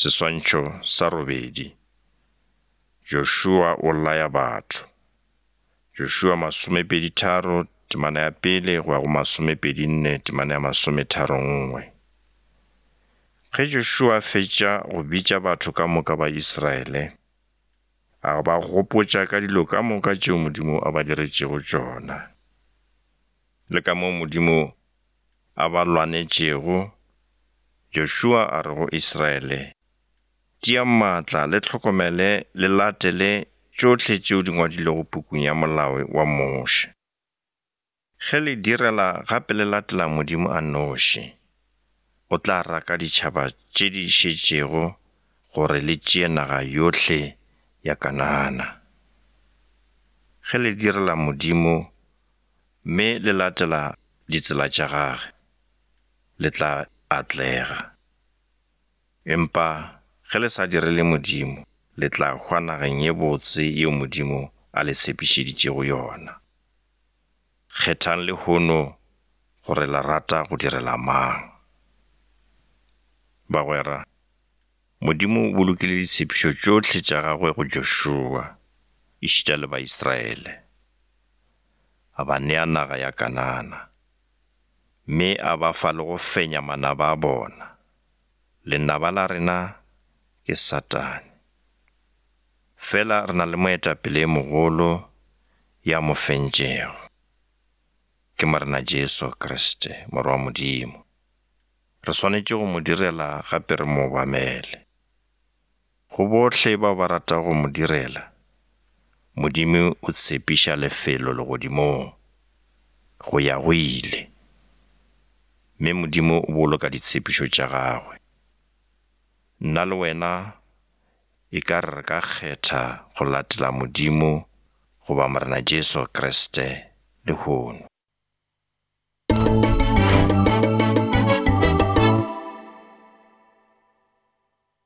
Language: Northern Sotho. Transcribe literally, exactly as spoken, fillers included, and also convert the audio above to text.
Seswantšho sa robedi. Joshua o laya batho. Joshua masomepedi tharo temana ya pele go ya go masomepedi nne temana ya masometharo nngwe. Ge Joshua a fetša go bitša batho ka moka ba Israele, a ba gopotša ka dilo ka moka tšeo Modimo a ba diretšego tšona, le ka moo Modimo a ba lwanetšego. Joshua a re go Israele, Tiang maatla le hlokomele le latele tšohle tšeo di ngwadilwego pukung ya molao wa Moshe. Ge le direla gape le latela Modimo a nnoši, o tla raka ditšhaba tše di šetšego gore le tšee naga yohle ya Kanana. Ge le direla Modimo mme le latela ditsela tša gagwe, le tla atlega. Empa ge le sa direle Modimo, le tla hwa nageng ye botse yeo Modimo a le tshepišeditšego yona. Kgethang lehono gore le rata go direla mang. Bagwera, Modimo o bolokile ditshepišo tšohle tša gagwe go Joshua, ešita le Baisraele. A ba nea naga ya Kanana, mme a ba fa le go fenya manaba a bona. Lenaba la rena ke Satane. Fela re na le moetapele e mogolo ya mo fentšego. Ke Morena Jesu Kriste, Morwa wa Modimo. Re swanetše go mo direla gape re mo obamele. Go bohle bao ba ratago go mo direla, Modimo o tshepiša lefelo legodimong go ya go ile. Mme Modimo o boloka ditshepišo tša gagwe. Nna le wena e ka re re ka kgetha go latela Modimo goba Morena Jesu Kriste lehono.